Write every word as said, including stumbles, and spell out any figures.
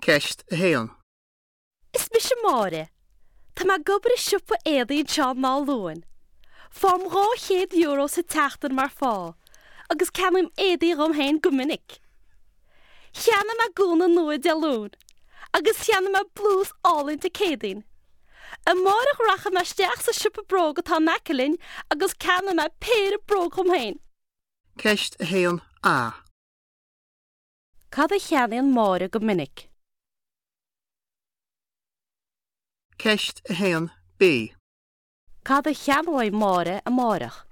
Ceist a haon. Is mise Máire. Tá mé ag obair i siopa éadaí anseo in Áth Luain. Faighim dhá chéad euro sa tseachtain mar phá, agus ceannaím éadaí dhom féin go minic. Cheannaigh mé gúna nua Dé Luain, agus cheannaigh mé blús álainn Dé Céadaoin. Amárach rachaidh mé isteach sa siopa bróg atá in aice linn agus ceannóidh mé péire bróg dhom féin. Ceist a haon A. Cad a cheannaíonn Máire go minic? Ceist a haon B. Cad a cheannóidh Máire amárach?